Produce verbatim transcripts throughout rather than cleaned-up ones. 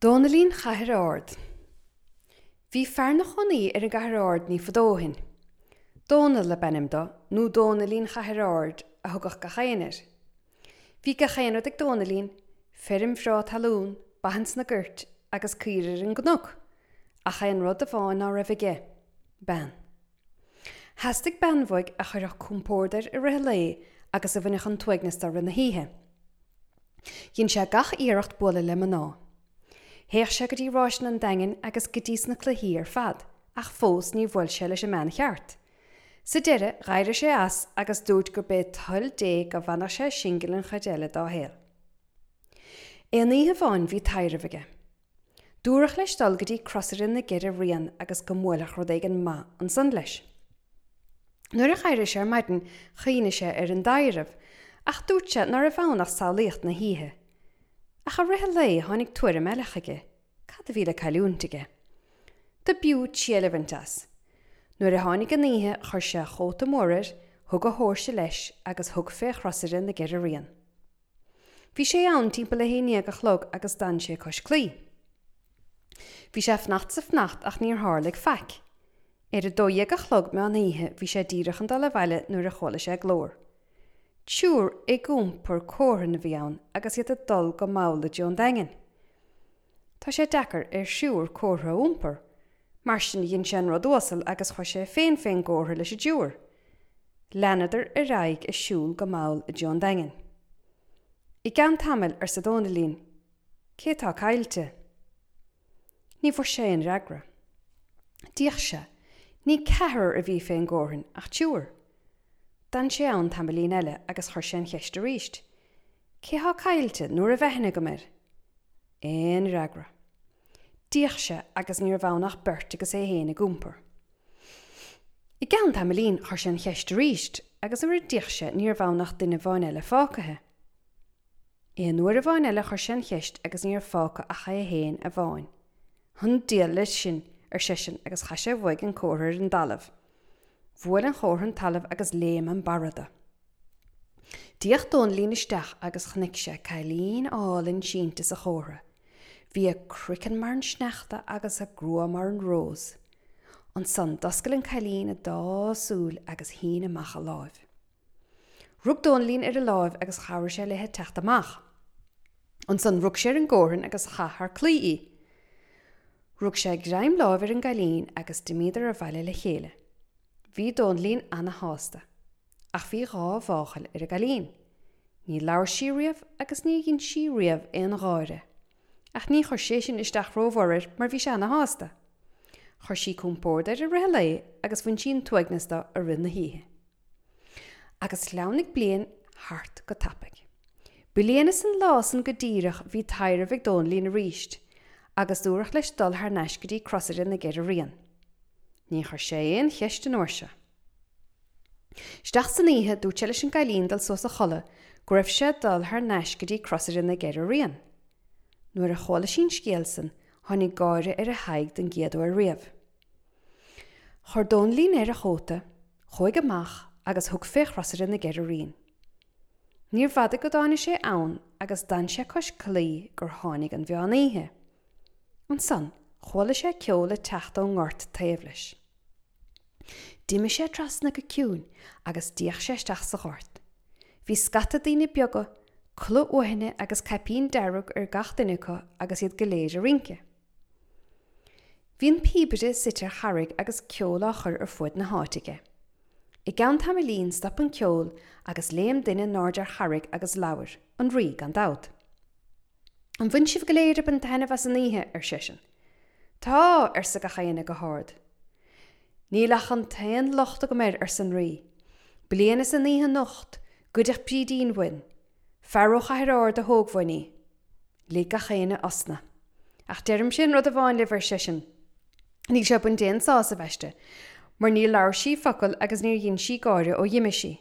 Dónaillín Chathair Ard. Bhí fear 'na chónaí ar an gCathair Ard ní fadó ó shin. Dónall ab ainm dó, nó Dónaillín Chathair Ard a thugadh gach éinne air. Bhí gach aon rud ag Dónaillín, feirm bhreá talún, ba ins na goirt agus caoirigh ar an gcnoc, ach aon rud amháin ná raibh aige, bean. Theastaigh bean uaidh a chuirfeadh compord air i rith an lae agus a bhainfeadh an t-uaigneas de i rith na hoíche. Dhein sé gach iarracht bualadh le mná. Théadh sé go dtí ráiseanna an Daingin agus go dtí sna cluichí ar fad, ach fós níor bhuail sé leis an mbean cheart. Sa deireadh, d'éirigh sé as agus dúirt gurb é toil Dé go bhfanfadh sé singil an chuid eile dá shaol. Aon oíche amháin bhí taidhreamh aige. Dúradh leis dul go dtí Crosaire na gCeithre Rian agus go mbuailfeadh rud éigin maith ansan leis. Nuair a d'éirigh sé ar maidin chuimhnigh sé ar an dtaidhreamh, ach dúirt sé ná raibh ann ach samhlaíocht na hoíche. Ach i rith an lae tháinig tuairim eile chuige, cad a bhí le cailliúint aige? Do b'fhiú triail a bhaint as. Nuair a tháinig an oíche chuir sé a chóta mór air, thug a thóirse leis agus thug fé Chrosaire na gCeithre Rian. Bhí sé ann timpeall a haon déag a chlog agus d'fhan sé cois claí. Bhí sé ag fanacht 's ag fanacht ach níor tharlaigh faic. Ar a dó dhéag a chlog meán oíche bhí sé díreach chun dul abhaile nuair a chuala sé glór. Triúr ag iompar cómhrann a bhí ann agus iad ag dul go mall i dtreo an Daingin. Tá sé deacair ar thriúr cófra a iompar. Mar sin dhein sé an rud uasal agus chuir sé féin fén gcófra leis an dtriúr. Leanadar ar aghaidh ag siúl go mall i dtreo an Daingin. I gceann tamaill, arsa Dónaillín, cé tá caillte? Ní bhfuair sé aon fhreagra. D'fhéach sé, ní ceathrar a bhí fén gcómhrann ach triúr. D'fhan sé ann tamaillín eile agus chuir sé an cheist arís. Cé thá caillte nó a raibh aithne agam air? Aon fhreagra. D'fhéach sé agus ní raibh ann ach beirt agus é féin ag iompar. I gceann tamaillín chuir sé an cheist arís agus nuair a d'fhéach sé ní raibh ann ach duine amháin eile fágtha. Aon uair amháin eile chuir sé an cheist agus ní raibh fágtha ach é féin amháin. An diabhal leis sin, ar seisean agus chaith sé uaidh an cófra ar an dtalamh. Bhuail an chófra an talamh agus léim an barra de. D'fhéach Dónaillín isteach agus chonaic sé cailín álainn sínte sa chófra. Bhí a croiceann mar an sneachta agus a grua mar an rós. Ansan d'oscail an cailín a dá súil agus shín amach a láimh. Rug Dónaillín ar a láimh agus chabhraigh sé léithe teacht amach. Ansan rug sé ar an gcómhrann agus chaith thar claí í. Rug sé greim láimh ar an gcailín agus d'imíodar abhaile le chéile. Bhí Dónaillín ana-shásta, ach bhí dhá mháchail ar an gcailín. Ní labhair sí riamh agus ní dhein sí riamh aon gháire. Ach ní chuir sé sin isteach rómhór air mar bhí sé ana-shásta. Chuir sí compord air i rith an lae agus bhain sí an t-uaigneas de i rith na hoíche. Agus shleamhnaigh bliain thart go tapaidh. Bliain is an lá san go díreach bhí taidhreamh ag Dónaillín arís, agus dúradh leis dul thar n-ais go dtí Crosaire na gCeithre Rian. Ní chuir sé aon cheist an uair seo. Isteach san oíche dúirt sé leis an gcailín dul suas a chodladh go raibh sé ag dul thar n-ais go dtí Crosaire na gCeithre Rian. Nuair a chuala sí an scéal san, tháinig gáire ar a haghaidh den gcéad uair riamh. Chuir Dónaillín air a chóta, chuaigh amach agus thug fé Chrosaire na gCeithre Rian. Níorbh fhada go dtáinig sé ann agus d'fhan sé cois claí gur tháinig an mheán oíche. Ansan, chuala sé ceol ag teacht ón ngort taobh leis. D'imigh sé trasna go ciúin agus d'fhéach sé isteach sa ghort. Bhí scata daoine beaga, culaith uaithne agus caipín dearg ar gach duine acu agus iad go léir ag rince. Bhí an píobaire suite ar charraig agus ceol á chur ar fuaid na háite aige. I gceann tamaillín stop an ceol agus léim duine in airde ar charraig agus labhair, an rí gan dabht. An bhain sibh go léir ag baint taitneamh as an oíche, ar seisean. Tá, arsa gach éinne go hard. Níl ach an t-aon locht agam air, arsa an rí. Bliain is an oíche anocht, goideadh Brídín uainn. Fear ó Chathair Ard a thóg uainn í. Lig gach éinne osna. Ach deirimse aon rud amháin libh, ar seisean. Níl sé ag baint aon sásamh aisti, mar níor labhair sí focal agus níor dhein sí gáire ó dh'imigh sí.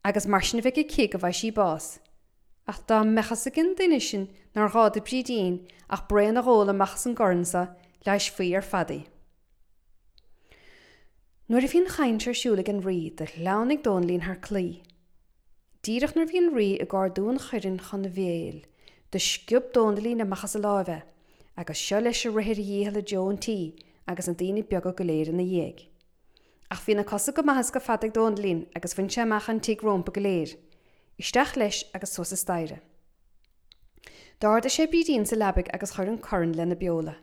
Agus mar sin a bheidh aici go bhfaighidh sí bás. Ach dá mbeadh fhios ag an duine sin nár ghá do Bhrídín ach braon a dh'ól amach as an gcorn so, leighisfí ar fad í. Nuair a bhí an chaint ar siúl ag an rí, do shleamhnaigh Dónaillín thar claí. Díreach nuair a bhí an rí ag ardú an choirn chun a bhéil, do sciob Dónaillín amach as a láimh é, Agus seo leis ag rith ar a dhícheall i dtreo an tí agus na daoine beaga go léir ina dhiaidh. Ach bhí na cosa go maith is go fada ag Dónaillín agus bhain sé amach an tigh rómpa go léir. Isteach leis agus suas an staighre. D'ardaigh sé Brídín sa leabaidh agus chuir an corn lena beola.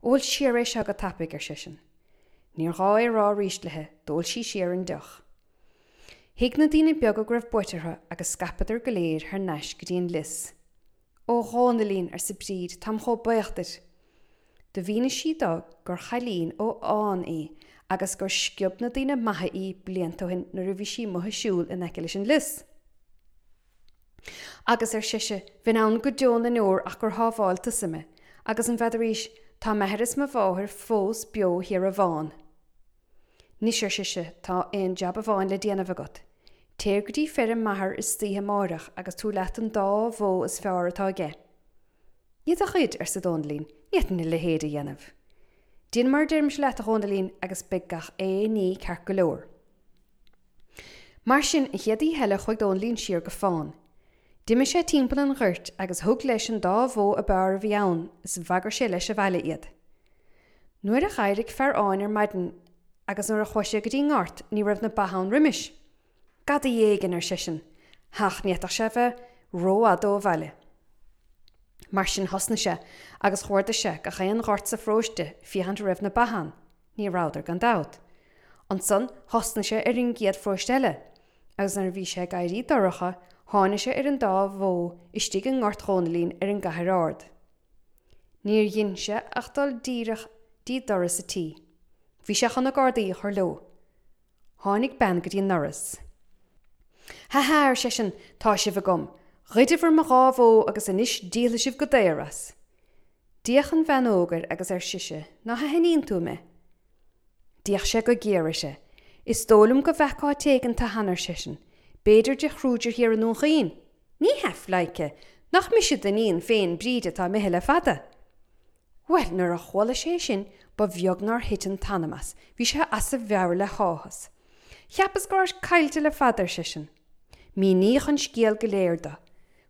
Ól siar é seo go tapaidh, ar seisean. Níor ghá é a rá arís léi, d'ól sí siar an deoch. Thuig na daoine beaga go raibh buaite orthu agus scaipeadar go léir thar n-ais go dtí an lios. Ó Dhónaillín, arsa Bríd, táim chomh buíoch duit. Do mhínigh sí dó gur chailín ó Fhán í agus gur sciob na daoine maithe í blianta ó shin nuair a bhí sí amuigh ag siúl in aice leis an lios. Agus, ar sise, bheinn ann go deo na ndeor ach gur shábháil tusa mé, agus an bhfeadaraís, tá m'athair is mo mháthair fós beo thiar i bhFán. 'Nois, ar sise, tá aon jab amháin le déanamh agat. Téir go dtí feirm m'athar istoíche amáireach agus tabhair leat an dá bhó is fearr atá aige. I do chuid, arsa Dónaillín, ní fhéadfainn a leithéid a dhéanamh. Déan mar a deirimse leat, a Dhónaillín, agus beidh gach aon ní ceart go leor. Mar sin, an chéad oíche eile chuaigh Dónaillín siar go Fán. D'imigh sé timpeall an ghoirt agus thug leis an dá bhó ab fhearr a bhí ann is bhagair sé leis abhaile iad. Nuair a d'éirigh fear Fháin ar maidin agus nuair a chuaigh sé go dtí an ngort ní raibh na ba ann roimis. Gadaí éigin, ar seisean. Ach ní fhéadfadh sé a bheith rófhada ó bhaile. Mar sin thosnaigh sé agus chuardaigh sé gach aon ghort sa pharóiste féachaint an raibh na ba ann. Ní rabhadar gan dabht. Ansan thosnaigh sé ar an gcéad pharóiste eile, agus nuair a bhí sé ag éirí dorcha tháinig sé ar an dá bhó istigh i ngort Dhónaillín ar an gCathair Ard. Níor dhein sé ach dul díreach dtí doras a tí. Bhí sé chun na gardaí a chur leo. Tháinig bean go dtí an ndoras. Ha ha, ar seisean, tá sibh agam. Ghoideabhair mo dhá bhó agus anois díolfaidh sibh go daor as. D'fhéach an bhean óg air agus ar sise, Ná haithníonn tú mé? D'fhéach sé go géar uirthi. Is dóigh liom go bhfeaca áit éigin tú cheana, ar seisean. B'fhéidir de chrúidir thiar i nDún Chaoin? Ní hea, pleidhce, nach mise d'iníon féin Bríd atá imithe le fada? Bhuel, nuair a chuala sé sin, ba bheag nár thit an t-anam as, bhí sé as a mheabhair le háthas. Cheapas go rabhais caillte le fada, ar seisean. Míníodh an scéal go léir dó.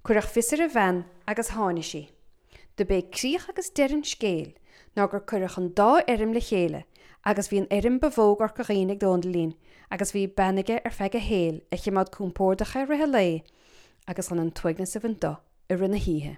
Cuireadh fios ar an bhean agus tháinig sí. Do b'é críoch agus deireadh an scéil ná gur cuireadh an dá fheirm le chéile agus bhí an fheirm ba mhó i gCorca Dhuibhne ag Dónaillín agus bhí bean aige ar feadh a shaoil a chimeád compordach é i rith an lae agus chun an t-uaigneas a bhaint dó i rith na hoíche.